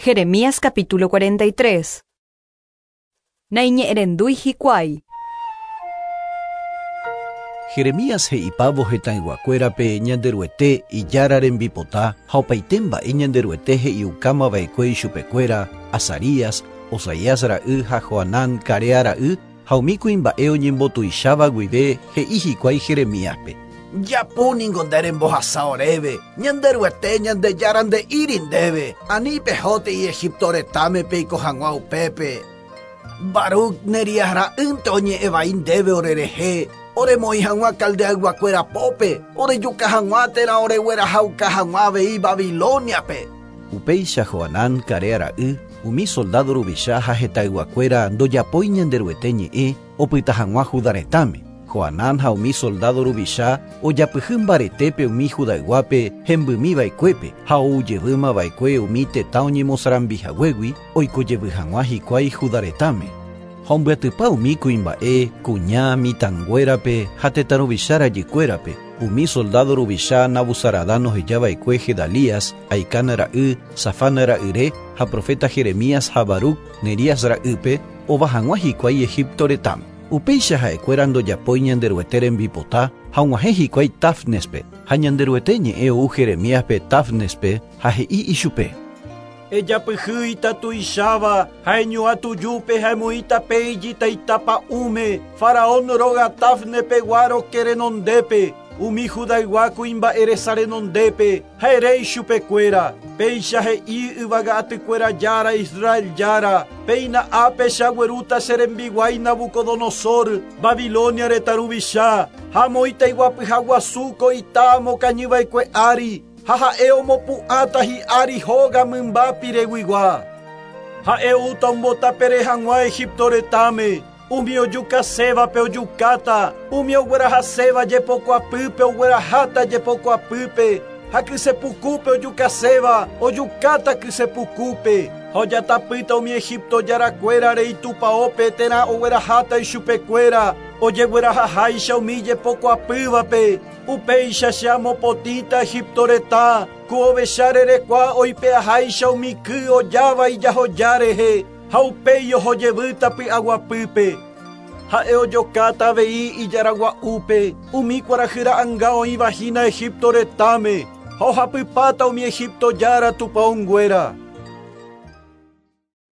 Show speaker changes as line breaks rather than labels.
Jeremías capítulo 43. Naiñe'ẽrendúi hikuái.
Jeremías he'ipávo hetãyguakuérape Ñanderuete Ijára rembipota ha opaite mba'e Ñanderuete he'iukámava'ekue ichupekuéra, Azarías, Osaías ra'y ha Johanán Carea ra'y ha umi kuimba'e oñembotuicháva guive he'i hikuái Jeremíaspe.
Japu ningo nde rembohasa oréve, Ñanderuete Ñandejára nde'íri ndéve, ani pehótei Egipto retãme peiko hag̃ua upépe. Baruc Nerías ra'ýnte oñe'ẽ vai ndéve orerehe, oremoĩ hag̃ua Caldeayguakuéra pópe, orejuka hag̃ua térã oreguerahauka hag̃ua avei Babilóniape.
Upéicha Johanán Carea ra'y, umi soldádo ruvicha ha hetãyguakuéra ndojapói Ñanderuete ñe'ẽ opyta hag̃ua Judá retãme. Johanán ha umi soldádo ruvicha ojapyhy mbaretépe umi Judayguápe hembymi va'ekuépe ha ou jevýma va'ekue umi tetã oñemosarambi haguégui oiko jevy hag̃ua hikuái Judá retãme. Ha ombyatypa umi kuimba'e, kuña, mitãnguérape ha tetã ruvicha rajykuérape, umi soldádo ruvicha Nabuzaradán oheja va'ekue Gedalías, Ahicán ra'y, Safán ra'yre ha proféta Jeremías ha Baruc, Nerías ra'ýpe, ova hag̃ua hikuái Egipto retãme. Upéicha ha'ekuéra ndojapói Ñanderuete rembipota ha og̃uahẽ hikuái Táfnespe, ha Ñanderuete ñe'ẽ ou Jeremíaspe Táfnespe ha he'i ichupe.
Ejapyhy ita tuicháva ha eñu'ã tujúpe ha emoĩ tape ijitaita pa'ũme, Faraón róga Tafne pegua roke renondépe, umi Judaygua kuimba'e resa renondépe, ha ere ichupekuéra, Péicha he'i yvága atykuéra Jára, Israel Jára, Péina ápe che aguerúta che rembiguái Nabucodonosor, Babilonia retã ruvicha, ha amoĩta iguapyha guasu ko ita amokañyva'ekue ári, Ha ha'e omopu'ãta hi'ári hóga mymba pireguigua. Ha'e oúta ombotapere hag̃ua Egipto retãme, umi ojukasévape ojukáta, umi oguerahaséva jepokuapýpe ogueraháta jepokuapýpe, ha kysepukúpe ojukaséva ojukáta kysepukúpe, ha ojatapýta umi Egipto jarakuérare itupaópe térã ogueraháta ichupekuéra ojeguerahaháicha umi jepokuapývape. Upéicha che amopotĩta Egipto retã, ku ovecha rerekua oipe'aháicha umi ky ojáva ijahoja rehe, ha upéi oho jevýta py'aguapýpe. Ha'e ojokáta avei ijaragua'úpe umi kuarahy ra'anga oĩva hína Egipto retãme, ha ohapypáta umi Egipto jára tupãonguéra.